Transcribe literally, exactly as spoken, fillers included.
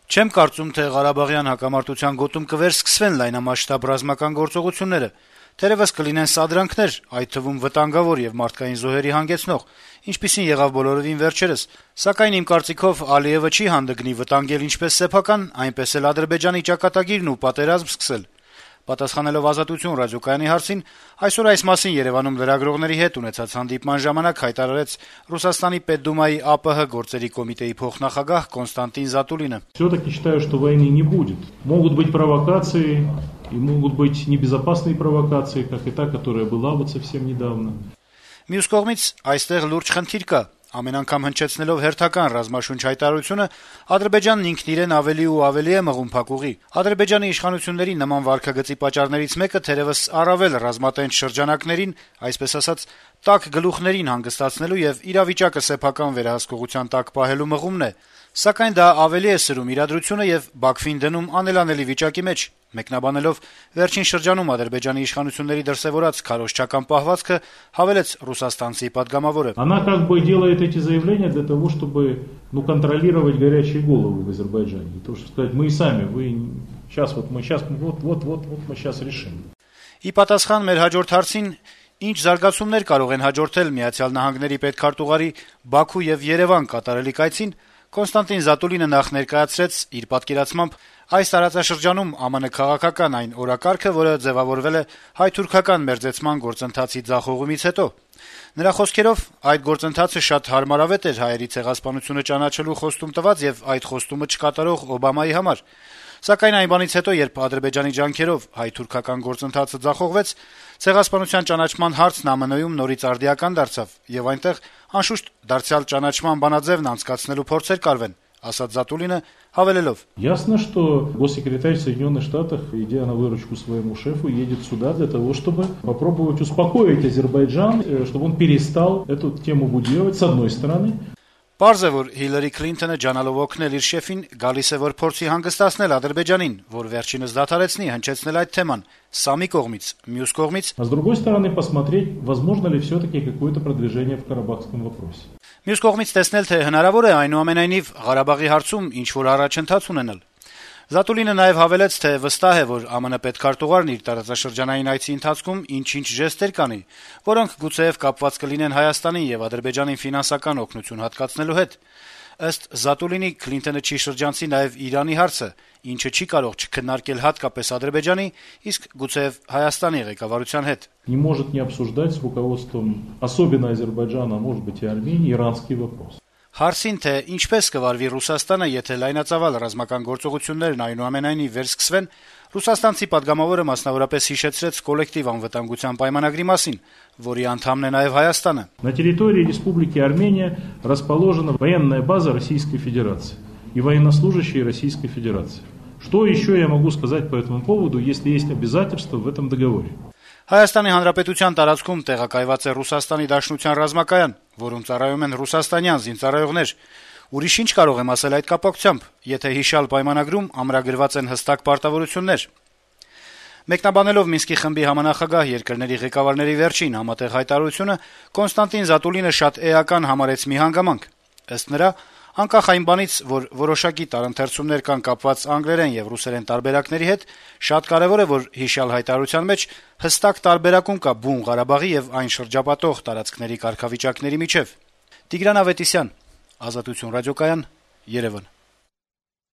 Չեմ կարծում, թե Ղարաբաղյան հակամարտության գոտում կվերսկսվեն լայնամասշտաբ ռազմական գործողությունները, թերեւս կլինեն սադրանքներ, այդ թվում վտանգավոր եւ մարդկային զոհերի հանգեցնող, ինչպիսին եղավ բոլորովին վերջերս, սակայն իմ կարծիքով Ալիեւը չի հանդգնի վտանգել ինչպես սեփական, այնպես էլ Ադրբեջանի ճակատագիրն ու պատերազմ սկսել։ Պատասխանելով «Ազատություն» ռադիոկայանի հարցին, այսօր այս մասին Երեւանում լրագրողների հետ ունեցած հանդիպման ժամանակ հայտարարեց Ռուսաստանի Պետդումայի ԱՊՀ գործերի կոմիտեի փոխնախագահ Կոնստանտին Զատուլինը. «Всё-таки считаю, что войны не будет. Могут быть провокации, и могут быть небезопасные провокации, как и та, которая была вот совсем недавно». Մյուս կողմից այստեղ լուրջ խնդիր կա. ամեն անգամ հնչեցնելով հերթական ռազմաշունչ հայտարարությունը, Ադրբեջանն ինքն իրեն ավելի ու ավելի է մղում փակուղի։ Ադրբեջանի իշխանությունների նման վարքագծի պատճառներից մեկը թերևս առավել ռազմատենչ շրջանակներին, այսպես ասած, տաք գլուխներին հանգստացնելու եւ իրավիճակը սեփական վերահսկողության տակ պահելու մղումն է, սակայն դա ավելի է սրում իրադրությունը եւ Բաքվին դնում անելանելի վիճակի մեջ։ Մեկնաբանելով վերջին շրջանում Ադրբեջանի իշխանությունների դրսեւորած քարոզչական պահվածքը, հավելեց ռուսաստանցի падգամավորը. Она как бы делает эти заявления для того, чтобы, ну, контролировать горячие головы в Азербайджане. То, что сказать, мы и сами, вы сейчас вот мы сейчас вот вот вот вот мы сейчас решим. Ի պատասխան մեր հաջորդ հարցին, ինչ զարգացումներ կարող են հաջորդել Միացյալ Նահանգների պետքարտուղարի Բաքու եւ Երևան կատարելիք այցին, Կոնստանտին Զատուլինը նախ ներկայացրեց իր պատկերացմամբ այս տարածաշրջանում ԱՄՆ քաղաքական այն օրակարգը, որը ձևավորվել է հայ-թուրքական մերձեցման գործընթացի ձախողումից հետո։ Նրա խոսքերով, այդ գործընթացը շատ հարմարավետ էր հայերի ցեղասպանությունը ճանաչելու խոստում տված եւ այդ խոստումը չկատարող Օբամայի համար։ Սակայն այն բանից հետո, երբ Ադրբեջանի ջանքերով հայ-թուրքական գործընթացը ձախողվեց, ցեղասպանության ճանաչման հարցն ԱՄՆ-ում նորից արդիական դարձավ եւ այնտեղ անշուշտ դարձյալ ճանաչման բանաձևն անցկացնելու փորձեր կարվեն, ասաց Զատուլինը, հավելելով. Ясно, что госсекретарь Соединенных Штатов, идя на выручку своему шефу, едет сюда для того, чтобы попробовать успокоить Азербайджан, чтобы он перестал эту тему будировать, с одной стороны. Պարզ է, որ Հիլարի Քլինթոնը ջանալով օգնել իր շեֆին, գալիս է, որ փորձի հանգստացնել Ադրբեջանին, որ վերջինս դադարեցնի հնչեցնել այդ թեման, սա մի կողմից, մյուս կողմից. А с другой стороны посмотреть, возможно ли все-таки какое-то продвижение в Карабахском вопросе. Մյուս կողմից տեսնել, թե հնարավոր է այնուամենայնիվ Ղարաբաղի հարցում ինչ-որ առաջընթաց ունենալ։ Զատուլինը նաև հավելեց, թե վստահ է, որ ԱՄՆ պետքարտուղարն իր տարածաշրջանային այցի ընթացքում ինչ-ինչ ժեստեր կանի, որոնք գուցեև կապված կլինեն Հայաստանին եւ Ադրբեջանին ֆինանսական օգնություն հատկացնելու հետ։ Ըստ Զատուլինի, Քլինթոնը չի շրջանցի նաև Իրանի հարցը, ինչը չի կարող չքննարկել հատկապես Ադրբեջանի, իսկ գուցեև Հայաստանի ղեկավարության հետ։ Не может не обсуждать с руководством, особенно Азербайджана, а может быть и Армении, иранский вопрос. Հարցին, թե ինչպես կվարվի Ռուսաստանը, եթե լայնածավալ ռազմական գործողություններն այնուամենայնիվ վերսկսվեն, ռուսաստանցի падգամավորը մասնավորապես հիշեցրեց կոլեկտիվ անվտանգության պայմանագրի մասին, որի անդամն է նաև Հայաստանը։ На территории Республики Армения расположена военная база Российской Федерации и военнослужащие Российской Федерации. Что еще я могу сказать по этому поводу, если есть обязательства в этом договоре? Հայաստանի Հանրապետության տարածքում տեղակայված է Ռուսաստանի Դաշնության ռազմակայան, որում ծառայում են ռուսաստանյան զինծառայողներ։ Ուրիշ ինչ կարող եմ ասել այդ կապակցությամբ, եթե հիշյալ պայմանագրում ամրագրված են հստակ պարտավորություններ։ Մեկնաբանելով Մինսկի խմբի համանախագահ երկրների ղեկավարների վերջին համատեղ հայտարարությունը, Կոնստանտին Զատուլինը շատ էական համարեց մի հանգամանք։ Ըստ նրա, անկախ այն բանից, որ որոշակի տարընթերցումներ կան կապված անգլերեն եւ ռուսերեն տարբերակների հետ, շատ կարեւոր է, որ հիշյալ հայտարարության մեջ հստակ տարբերակում կա բուն Ղարաբաղի եւ այն շրջապատող տարածքների կարգավիճակների միջեւ։ Տիգրան Ավետիսյան, Ազատություն ռադիոկայան, Երևան։